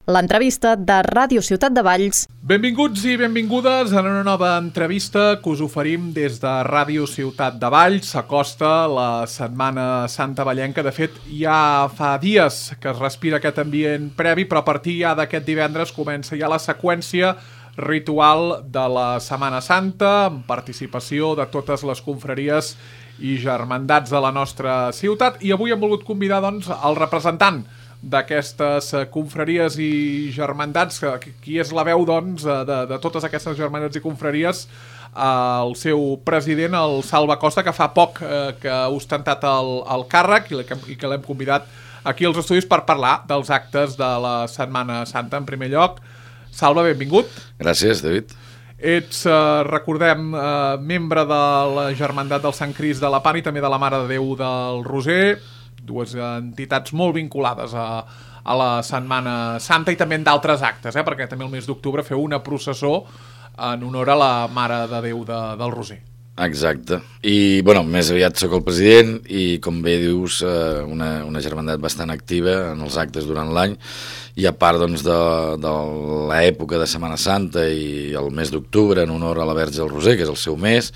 l'entrevista de Ràdio Ciutat de Valls. Benvinguts i benvingudes a una nova entrevista que us oferim des de Ràdio Ciutat de Valls. S'acosta la Setmana Santa vallenca. De fet, ja fa dies que es respira aquest ambient previ, però a partir ja d'aquest divendres comença ja la seqüència ritual de la Setmana Santa, amb participació de totes les confraries i germandats de la nostra ciutat. I avui hem volgut convidar, doncs, el representant d'aquestes confraries i germandats, qui és la veu, doncs, de totes aquestes germandats i confraries, el seu president, el Salva Costa, que fa poc que ha ostentat el càrrec i que l'hem convidat aquí als estudis per parlar dels actes de la Setmana Santa. En primer lloc, Salva, benvingut. Gràcies, David. Ets, recordem, membre de la Germandat del Sant Crist de la Pan i també de la Mare de Déu del Roser, dues entitats molt vinculades a la Setmana Santa i també en d'altres actes, perquè també el mes d'octubre feu una processó en honor a la Mare de Déu del Roser. Exacte. I, bueno, més aviat sóc el president i, com bé dius, una germandat bastant activa en els actes durant l'any i a part, doncs, de l'època de Setmana Santa i el mes d'octubre en honor a la Verge del Roser, que és el seu mes.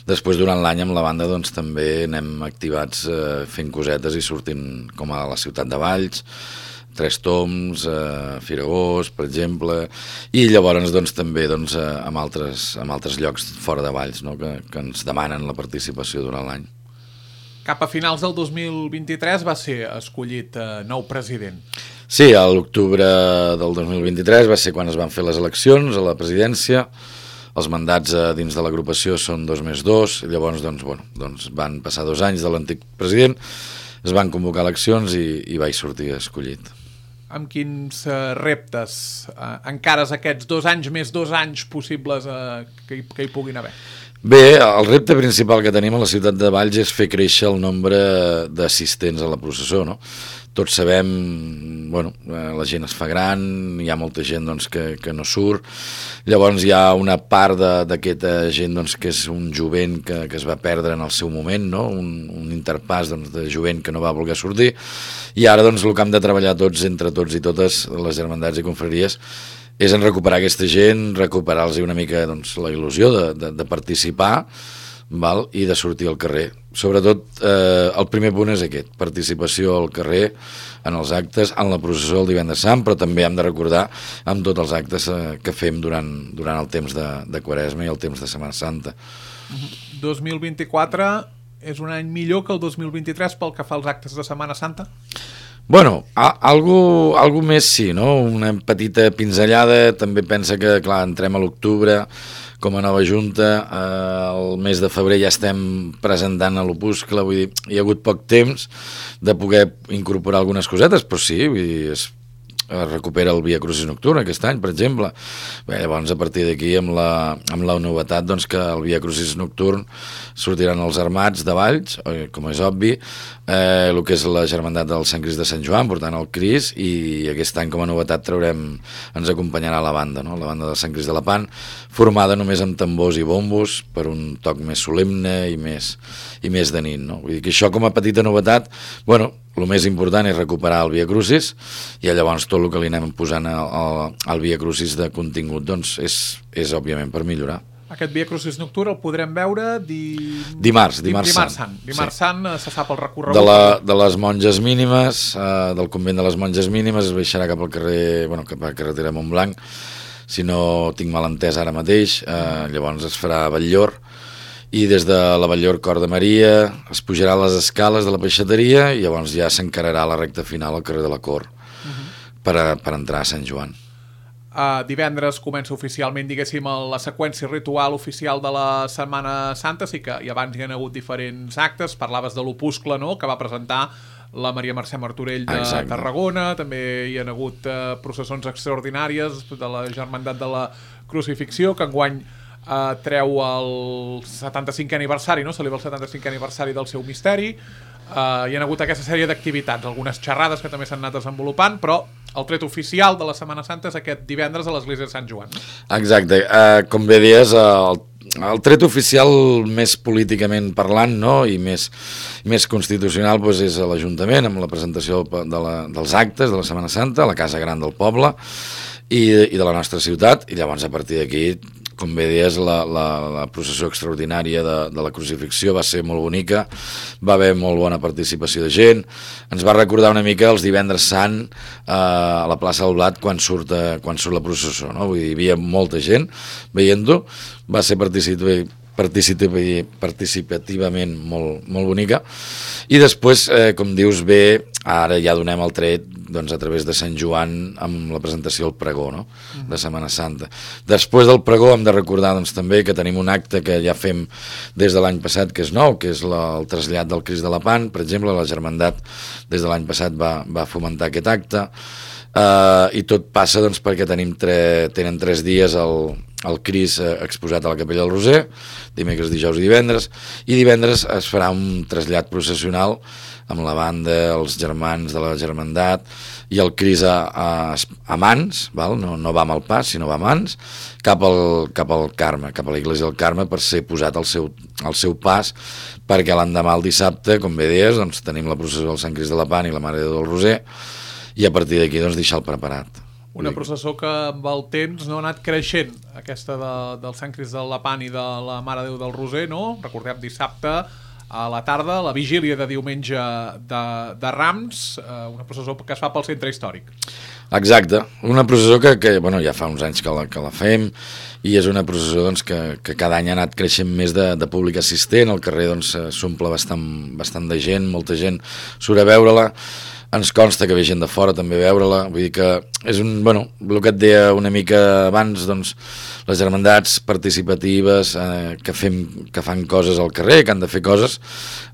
Després, durant l'any, amb la banda, doncs, també anem activats fent cosetes i sortint com a la Ciutat de Valls, Tres Toms, Firagós, per exemple, i llavors, doncs, també, doncs, amb altres llocs fora de Valls, no?, que ens demanen la participació durant l'any. Cap a finals del 2023 va ser escollit nou president. Sí, a l'octubre del 2023 va ser quan es van fer les eleccions a la presidència. Els mandats dins de l'agrupació són 2 més 2, llavors doncs van passar 2 anys de l'antic president, es van convocar eleccions i vaig sortir escollit. Amb quins reptes encares aquests 2 anys més 2 anys possibles que hi puguin haver? Bé, el repte principal que tenim a la ciutat de Valls és fer créixer el nombre d'assistents a la processó, no? Tots sabem, la gent es fa gran, hi ha molta gent, doncs, que no surt, llavors hi ha una part d'aquesta gent, doncs, que és un jovent que es va perdre en el seu moment, no? Un interpàs, doncs, de jovent que no va voler sortir, i ara, doncs, el que hem de treballar entre tots i totes les germandats i confraries és en recuperar aquesta gent, recuperar-los una mica, doncs, la il·lusió de participar, val? I de sortir al carrer. Sobretot, el primer punt és aquest, participació al carrer, en els actes, en la processó del Divendres Sant, però també hem de recordar amb tots els actes que fem durant el temps de Quaresma i el temps de Setmana Santa. 2024 és un any millor que el 2023 pel que fa als actes de Setmana Santa? Bueno, algo més sí, no? Una petita pinzellada, també pensa que, clar, entrem a l'octubre com a nova junta, el mes de febrer ja estem presentant a l'opuscle, vull dir, hi ha hagut poc temps de poder incorporar algunes cosetes, però sí, vull dir, es recupera el Via Crucis nocturn aquest any, per exemple. Bé, llavors, a partir d'aquí, amb la novetat, doncs, que el Via Crucis nocturn sortiran els armats de Valls, com és obvi, el que és la germandat del Sant Crist de Sant Joan, portant el Crist, i aquest any, com a novetat, ens acompanyarà la banda, no? La banda del Sant Crist de la Pan, formada només amb tambors i bombos, per un toc més solemne i més de nit, no? Vull dir que això, com a petita novetat, el més important és recuperar el Via Crucis i llavors tot el que li anem posant al Via Crucis de contingut, doncs, és òbviament per millorar. Aquest Via Crucis nocturn el podrem veure dimarts sant. Dimarts sant, se sap el recorregut. De les monges mínimes, del convent de les monges mínimes, es baixarà cap al carrer, cap a la carretera Montblanc, si no tinc mal entès ara mateix, llavors es farà Batllor, i des de la Batllor Cor de Maria es pujarà a les escales de la peixateria i llavors ja s'encararà la recta final al carrer de la Cor per entrar a Sant Joan. Divendres comença oficialment, diguéssim, la seqüència ritual oficial de la Setmana Santa, sí que i abans hi ha hagut diferents actes, parlaves de l'opuscle, no?, que va presentar la Maria Mercè Martorell de Tarragona, també hi ha hagut processons extraordinàries de la Germandat de la Crucifixió, que enguany treu el 75è aniversari, no? Celebra el 75è aniversari del seu misteri. Hi ha hagut aquesta sèrie d'activitats, algunes xerrades que també s'han anat desenvolupant, però el tret oficial de la Setmana Santa és aquest divendres a l'església de Sant Joan. Exacte, com bé dies, el tret oficial més políticament parlant, no? I més constitucional doncs, és a l'Ajuntament, amb la presentació dels actes de la Setmana Santa, a la Casa Gran del poble i de la nostra ciutat, i llavors a partir d'aquí, com bé deies, la processó extraordinària de la crucifixió va ser molt bonica, va haver molt bona participació de gent, ens va recordar una mica els divendres sant a la plaça del Blat quan surt la processó, no? Vull dir, hi havia molta gent veient-ho, va ser participativament molt bonica, i després, com dius bé, ara ja donem el tret doncs, a través de Sant Joan amb la presentació del pregó, no? De Setmana Santa. Després del pregó hem de recordar doncs, també que tenim un acte que ja fem des de l'any passat, que és nou, que és el trasllat del Crist de la Pan. Per exemple, la Germandat des de l'any passat va fomentar aquest acte, i tot passa doncs, perquè tenen 3 dies el Crist exposat a la Capella del Roser, dimecres, dijous i divendres es farà un trasllat processional amb la banda, els germans de la Germandat i el Crist a mans, val? No va amb el pas, sinó va a mans, cap al Carme, cap a l'església del Carme, per ser posat al seu pas, perquè l'endemà, el dissabte, com bé deies, doncs, tenim la processó del Sant Crist de la Pan i la Mare de Déu del Roser, i a partir d'aquí doncs, deixar-lo preparat. Una processó que amb el temps no ha anat creixent, aquesta del Sant Crist de la Pan i de la Mare de Déu del Roser, no? Recordem dissabte a la tarda, la vigília de diumenge de Rams, una processó que es fa pel centre hístoric. Exacte, una processó que bueno, ja fa uns anys que la fem, i és una processó doncs, que cada any ha anat creixent més de públic assistent, el carrer doncs, s'omple bastant de gent, molta gent surt a veure-la, ens consta que ve gent de fora també a veure-la, vull dir que és el que et deia una mica abans, doncs, les germandats participatives que fan coses al carrer, que han de fer coses,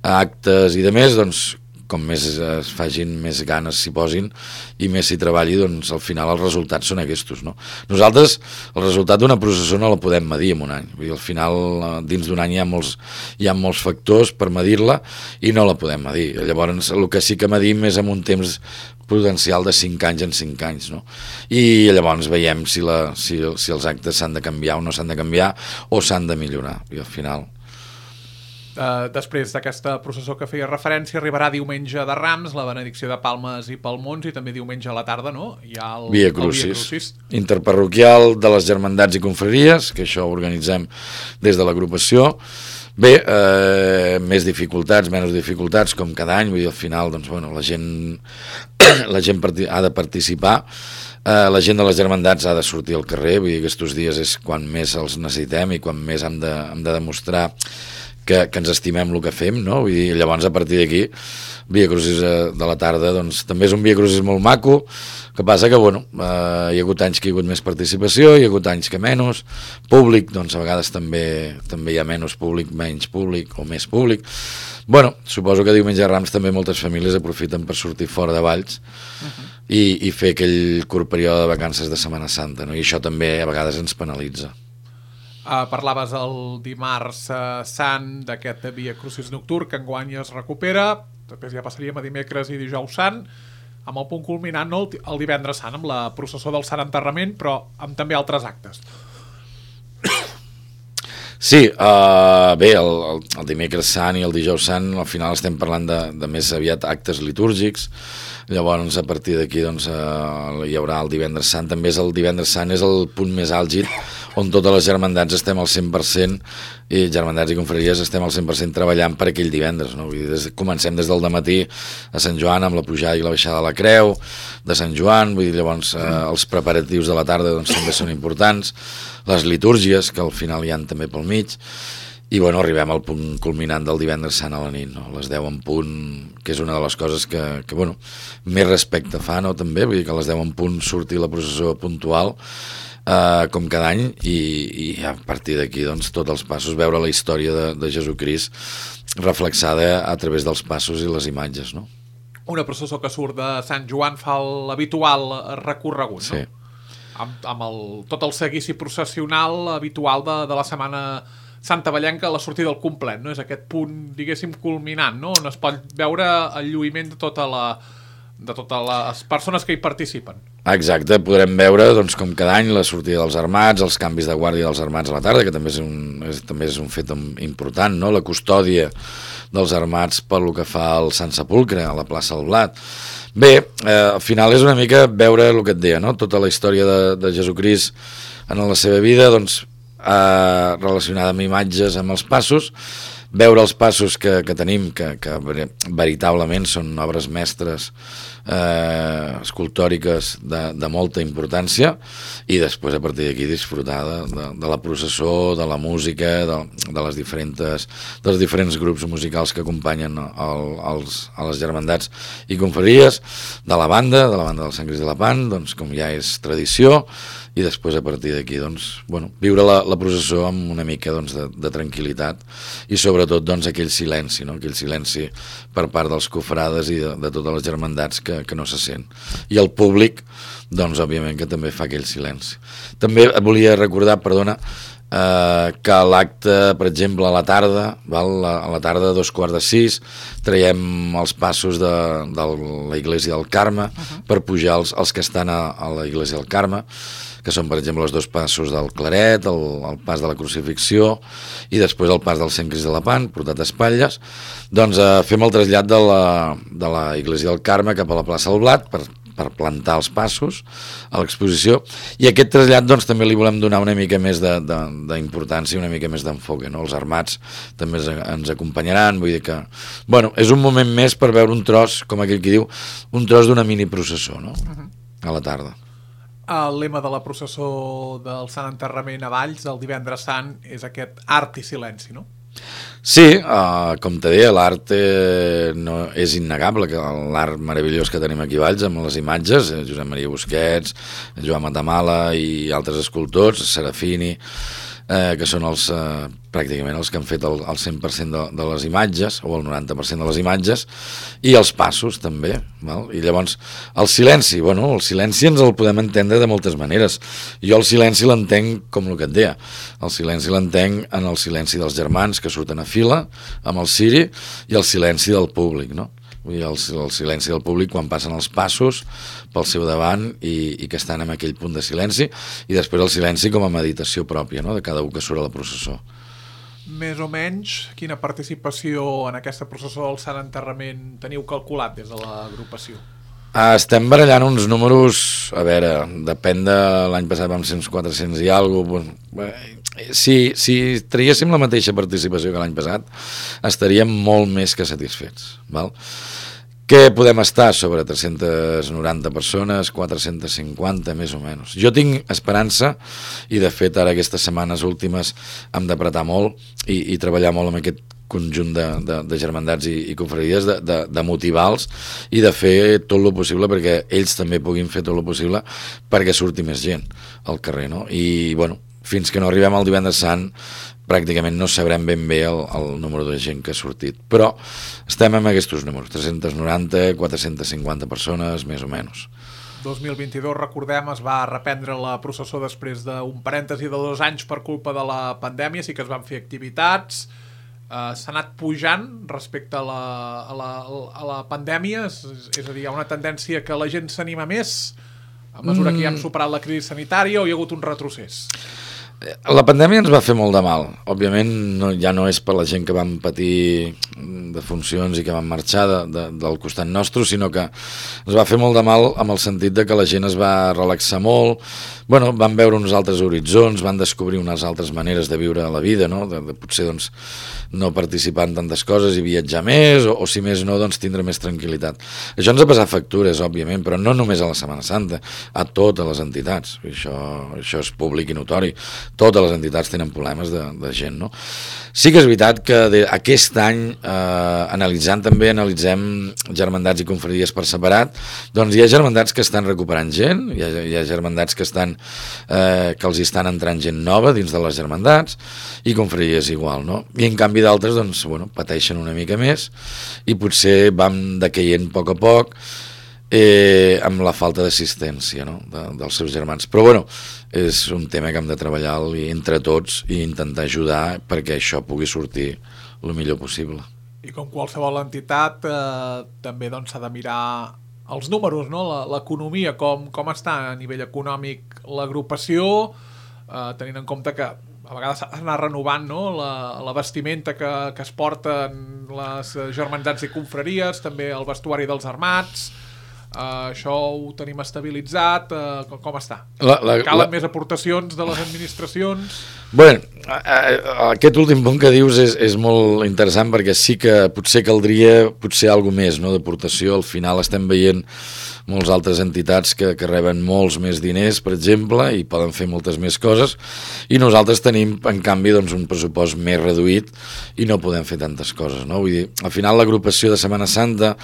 actes i de més, doncs, com més es facin, més ganes s'hi posin i més s'hi treballi, doncs al final els resultats són aquests, no? Nosaltres el resultat d'una processó no la podem medir en un any, vull dir, al final dins d'un any hi ha molts factors per medir-la i no la podem medir. Llavors el que sí que medim és amb un temps prudencial de 5 anys en 5 anys, no? I llavors veiem si els actes s'han de canviar o no s'han de canviar o s'han de millorar, i al final... Després d'aquesta processó que feia referència, arribarà diumenge de Rams, la benedicció de Palmes i Palmons, i també diumenge a la tarda, no? Hi ha el Via Crucis, interparroquial de les germandats i confraries, que això ho organitzem des de l'agrupació. Bé, més dificultats, menys dificultats, com cada any, vull dir, al final, doncs, bueno, la gent ha de participar, la gent de les germandats ha de sortir al carrer, vull dir, aquests dies és quan més els necessitem i quan més hem de demostrar que ens estimem el que fem, no? Vull dir, llavors a partir d'aquí Via Crucis de la tarda doncs, també és un Via Crucis molt maco, que passa que bueno, hi ha hagut anys que hi ha hagut més participació, hi ha hagut anys que menys públic, doncs a vegades també hi ha menys públic, menys públic o més públic. Bueno, suposo que diumenge de Rams també moltes famílies aprofiten per sortir fora de Valls i fer aquell curt període de vacances de Setmana Santa, no? I això també a vegades ens penalitza. Parlaves el dimarts sant d'aquest Via Crucis nocturn, que enguany es recupera, després ja passaríem a dimecres i dijous sant, amb el punt culminant, no, el divendres sant, amb la processó del Sant Enterrament, però amb també altres actes. Sí, bé, el dimecres sant i el dijous sant al final estem parlant de més aviat actes litúrgics. Llavors a partir d'aquí doncs, hi haurà el divendres sant. També és el divendres sant és el punt més àlgid on totes les germandats estem al 100% i germandats i confraries estem al 100% treballant per aquell divendres, no? Vull dir, comencem des del dematí a Sant Joan amb la pujada i la baixada de la creu de Sant Joan, vull dir, llavors els preparatius de la tarda doncs, també són importants, les litúrgies que al final hi ha també pel mig. I bueno, arribem al punt culminant del divendres sant a la nit, no? Les 10 en punt, que és una de les coses que bueno, més respecte fa, no? També, vull dir que a les 10 en punt surti la processó puntual, com cada any, i a partir d'aquí doncs, tots els passos, veure la història de Jesucrist reflexada a través dels passos i les imatges, no? Una processó que surt de Sant Joan fa l'habitual recorregut, no? Sí. Amb tot el seguici processional habitual de la Setmana Santa Vallenca, la sortida del complet, no? És aquest punt, diguéssim, culminant, no? On es pot veure el lluïment de totes les persones que hi participen. Exacte, podrem veure doncs, com cada any la sortida dels armats, els canvis de guàrdia dels armats a la tarda, que també és un fet important, no? La custòdia dels armats pel que fa al Sant Sepulcre, a la plaça del Blat. Bé, al final és una mica veure el que et deia, no? Tota la història de Jesucrist en la seva vida, doncs, relacionada amb imatges, amb els passos, veure els passos que tenim, que veritablement són obres mestres escultòriques de molta importància, i després a partir d'aquí disfrutar de la processó, de la música, dels diferents grups musicals que acompanyen a les germandats i confraries, de la banda del Sant Crist de Lepant, doncs, com ja és tradició, i després a partir d'aquí doncs, viure la processó amb una mica doncs, de tranquil·litat, i sobretot doncs, aquell silenci, no? Aquell silenci per part dels cofrades i de totes les germandats que no se sent, i el públic doncs òbviament que també fa aquell silenci. També et volia recordar, perdona, que l'acte, per exemple, a la tarda, a la tarda a 5:15, traiem els passos de la Iglesia del Carme per pujar els que estan a la Iglesia del Carme, que són, per exemple, els 2 passos del Claret, el pas de la Crucifixió i després el pas del Sant Crist de Lepant, portat a espatlles. Doncs fem el trasllat de la Iglesia del Carme cap a la plaça del Blat per plantar els passos a l'exposició, i aquest trasllat doncs, també li volem donar una mica més d'importància, una mica més d'enfoc, no? Els armats també ens acompanyaran, vull dir que és un moment més per veure un tros, com aquell qui diu, un tros d'una mini processó, no? A la tarda. El lema de la processó del Sant Enterrament a Valls, el divendres sant, és aquest art i silenci, no? Sí, com te deia, l'art no és innegable, que l'art meravellós que tenim aquí a Valls amb les imatges, Josep Maria Busquets, Joan Matamala i altres escultors, Serafini, que són pràcticament els que han fet el 100% de les imatges, o el 90% de les imatges, i els passos també, val? I llavors el silenci, el silenci ens el podem entendre de moltes maneres. Jo el silenci l'entenc com el que et deia, el silenci l'entenc en el silenci dels germans que surten a fila amb el ciri, i el silenci del públic, no? Vull dir, el silenci del públic quan passen els passos pel seu davant i que estan en aquell punt de silenci, i després el silenci com a meditació pròpia, no? De cada un que surt a la processó. Més o menys, quina participació en aquesta processó del Sant Enterrament teniu calculat des de l'agrupació? Estem barallant uns números, a veure, depèn de l'any passat vam ser uns 400 i alguna cosa. Si traguéssim la mateixa participació que l'any passat, estaríem molt més que satisfets, val? Què podem estar? Sobre 390 persones, 450 més o menys. Jo tinc esperança, i de fet ara aquestes setmanes últimes hem d'apretar molt i treballar molt amb aquest conjunt de germandats i confraries, de motivar-los i de fer tot el possible perquè ells també puguin fer tot el possible perquè surti més gent al carrer, no? I fins que no arribem al divendres sant pràcticament no sabrem ben bé el número de gent que ha sortit, però estem amb aquests números, 390, 450 persones, més o menys. 2022, recordem, es va reprendre la processó després d'un parèntesi de 2 anys per culpa de la pandèmia, sí que es van fer activitats, s'ha anat pujant respecte a la pandèmia, és a dir, hi ha una tendència que la gent s'anima més a mesura que ja hem superat la crisi sanitària, o hi ha hagut un retrocés? La pandèmia ens va fer molt de mal. Òbviament ja no és per la gent que vam patir defuncions i que van marxar del costat nostre, sinó que ens va fer molt de mal amb el sentit de que la gent es va relaxar molt, van veure uns altres horitzons, van descobrir unes altres maneres de viure la vida, no? De potser no participar en tantes coses i viatjar més, o si més no, tindre més tranquil·litat. Això ens ha passat factures, òbviament, però no només a la Setmana Santa, a totes les entitats. Això és públic i notori. Totes les entitats tenen problemes de gent, no? Sí que és veritat que aquest any, analitzem germandats i confraries per separat, doncs hi ha germandats que estan recuperant gent, hi ha germandats que que els estan entrant gent nova dins de les germandats, i confraries igual, no? I en canvi d'altres, pateixen una mica més, i potser van decaient a poc amb la falta d'assistència, no? Dels seus germans. Però és un tema que hem de treballar entre tots i intentar ajudar perquè això pugui sortir el millor possible. I com qualsevol entitat, també s'ha de mirar els números, no? L'economia, com està a nivell econòmic l'agrupació, tenint en compte que a vegades s'ha d'anar renovant, no? La vestimenta que es porten les germandats i confraries, també el vestuari dels armats. Això ho tenim estabilitzat, com està? Calen més aportacions de les administracions? Bé, aquest últim punt que dius és molt interessant, perquè sí que potser caldria alguna més, no, d'aportació. Al final estem veient moltes altres entitats que reben molts més diners, per exemple, i poden fer moltes més coses, i nosaltres tenim, en canvi, doncs, un pressupost més reduït i no podem fer tantes coses, no? Vull dir, al final l'agrupació de Setmana Santa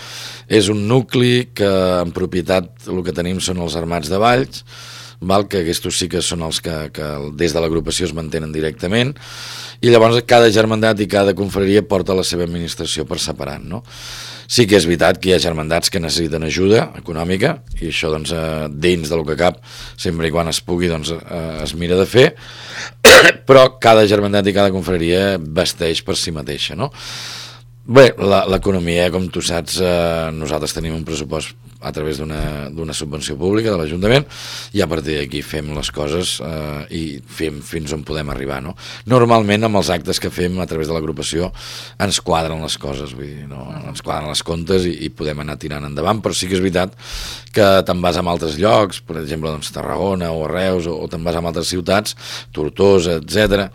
és un nucli que en propietat el que tenim són els armats de Valls, que aquests sí que són els que des de l'agrupació es mantenen directament, i llavors cada germandat i cada confraria porta la seva administració per separat, no? Sí que és veritat que hi ha germandats que necessiten ajuda econòmica, i això doncs, dins del que cap, sempre i quan es pugui, doncs, es mira de fer, però cada germandat i cada confraria vesteix per si mateixa, no? Bé, l'economia, com tu saps, nosaltres tenim un pressupost a través d'una subvenció pública de l'Ajuntament, i a partir d'aquí fem les coses i fem fins on podem arribar, no? Normalment amb els actes que fem a través de l'agrupació ens quadren les coses, vull dir, no? Ens quadren les comptes i podem anar tirant endavant, però sí que és veritat que te'n vas a altres llocs, per exemple, doncs, Tarragona o Reus, o te'n vas a altres ciutats, Tortosa, etc.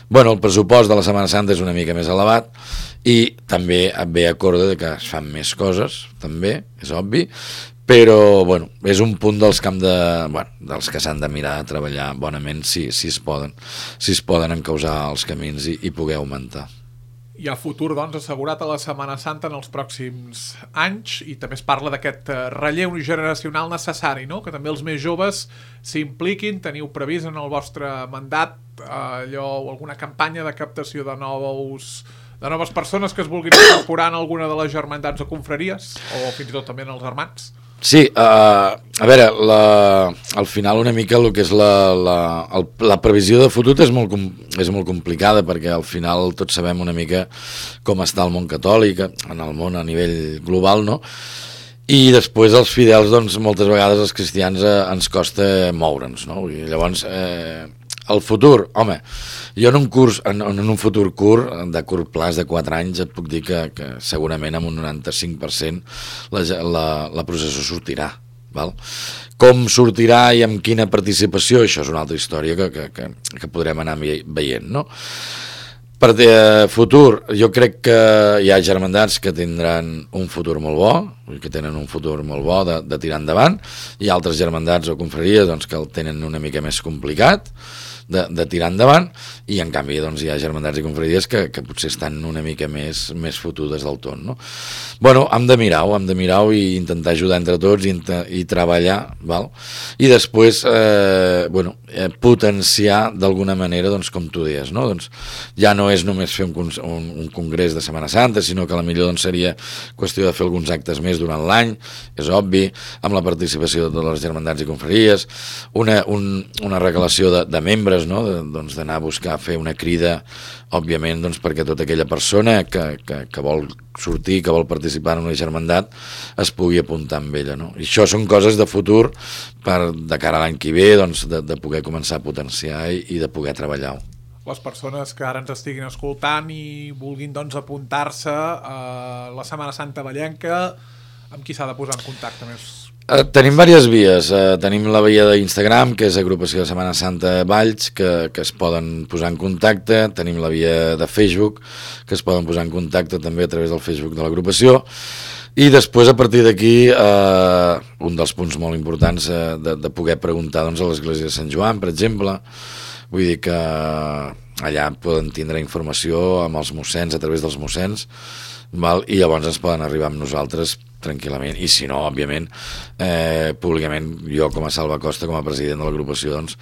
Bueno, el pressupost de la Setmana Santa és una mica més elevat, i també ve a corde que es fan més coses, també, és obvi, però bueno, és un punt dels que s'han de mirar a treballar bonament si es poden encausar els camins i poder augmentar. Hi ha futur, doncs, assegurat a la Setmana Santa en els pròxims anys, i també es parla d'aquest relleu generacional necessari, no? Que també els més joves s'impliquin. Teniu previst en el vostre mandat alguna campanya de captació de noves persones que es vulguin incorporar en alguna de les germandats o confraries, o fins i tot també en els armats? Sí, a veure, al final una mica el que és la previsió de futur és molt complicada, perquè al final tots sabem una mica com està el món catòlic, en el món a nivell global, no? I després els fidels, doncs, moltes vegades els cristians ens costa moure'ns, no? I llavors, el futur, home, jo en un futur curt, de curt plaç de 4 anys, et puc dir que segurament amb un 95% la processó sortirà. Val? Com sortirà i amb quina participació, això és una altra història que podrem anar veient, no? Per futur, jo crec que hi ha germandats que tindran un futur molt bo, que tenen un futur molt bo de tirar endavant, i altres germandats o confraries, doncs, que el tenen una mica més complicat de tirar endavant, i en canvi doncs, hi ha germandats i confraries que potser estan una mica més fotudes del tot, no? Bueno, hem de mirar-ho i intentar ajudar entre tots i treballar, val? I després potenciar d'alguna manera, doncs, com tu deies, no? Doncs, ja no és només fer un congrés de Setmana Santa, sinó que potser doncs, seria qüestió de fer alguns actes més durant l'any, és obvi, amb la participació de les germandats i confraries, una regalació de membres, no? Doncs d'anar a buscar fer una crida, òbviament, doncs, perquè tota aquella persona que vol sortir, que vol participar en una germandat es pugui apuntar amb ella, no? I això són coses de futur de cara a l'any que ve, doncs, de poder començar a potenciar i de poder treballar-ho. Les persones que ara ens estiguin escoltant i vulguin, doncs, apuntar-se a la Setmana Santa Vallenca, amb qui s'ha de posar en contacte més? Tenim diverses vies. Tenim la via d'Instagram, que és Agrupació de Setmana Santa Valls, que es poden posar en contacte. Tenim la via de Facebook, que es poden posar en contacte també a través del Facebook de l'agrupació. I després, a partir d'aquí, un dels punts molt importants de poder preguntar, doncs, a l'Església de Sant Joan, per exemple. Vull dir que allà poden tindre informació amb els mossens, a través dels mossens, val? I llavors ens poden arribar amb nosaltres tranquil·lament, i si no, òbviament, públicament, jo com a Salva Costa, com a president de l'agrupació, doncs,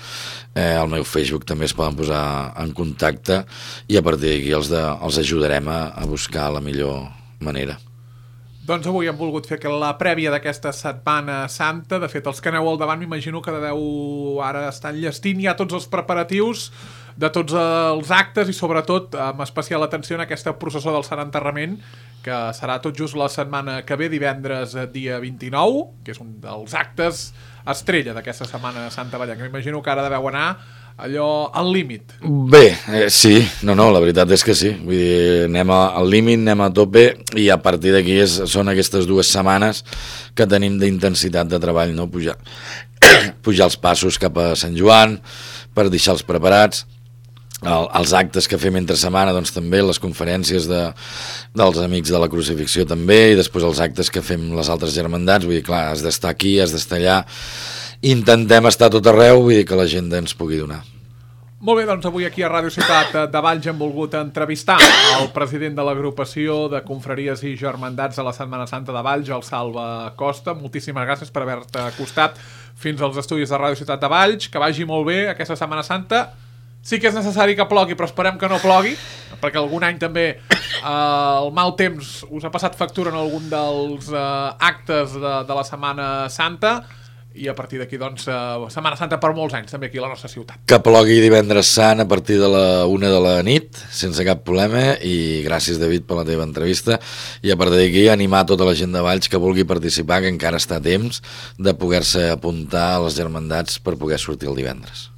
al meu Facebook també es poden posar en contacte, i a partir d'aquí els ajudarem a buscar la millor manera. Doncs avui hem volgut fer la prèvia d'aquesta Setmana Santa. De fet, els que aneu al davant m'imagino que deveu ara estar enllestint ja tots els preparatius de tots els actes i sobretot amb especial atenció en aquesta processó del Sant Enterrament, que serà tot just la setmana que ve, divendres dia 29, que és un dels actes estrella d'aquesta Setmana Santa Vallenca. M'imagino que ara deveu anar allò al límit. Bé, sí, no, la veritat és que sí. Vull dir, anem al límit, anem a tope i a partir d'aquí són aquestes 2 setmanes que tenim d'intensitat de treball, no? Pujar els passos cap a Sant Joan per deixar-los preparats. Els actes que fem entre setmana, doncs també les conferències dels Amics de la Crucifixió també, i després els actes que fem les altres germandats. Vull dir, clar, has d'estar aquí, has d'estar allà. Intentem estar a tot arreu, vull dir que la gent ens pugui donar. Molt bé, doncs avui aquí a Ràdio Ciutat de Valls hem volgut entrevistar el president de l'agrupació de confraries i germandats de la Setmana Santa de Valls, el Salva Costa. Moltíssimes gràcies per haver-te acostat fins als estudis de Ràdio Ciutat de Valls. Que vagi molt bé aquesta Setmana Santa. Sí que és necessari que plogui, però esperem que no plogui, perquè algun any també el mal temps us ha passat factura en algun dels actes de la Setmana Santa, i a partir d'aquí, doncs, Setmana Santa per molts anys també aquí a la nostra ciutat. Que plogui divendres sant a partir de la 1 de la nit, sense cap problema, i gràcies, David, per la teva entrevista, i a partir d'aquí animar tota la gent de Valls que vulgui participar, que encara està a temps de poder-se apuntar a les germandats per poder sortir el divendres.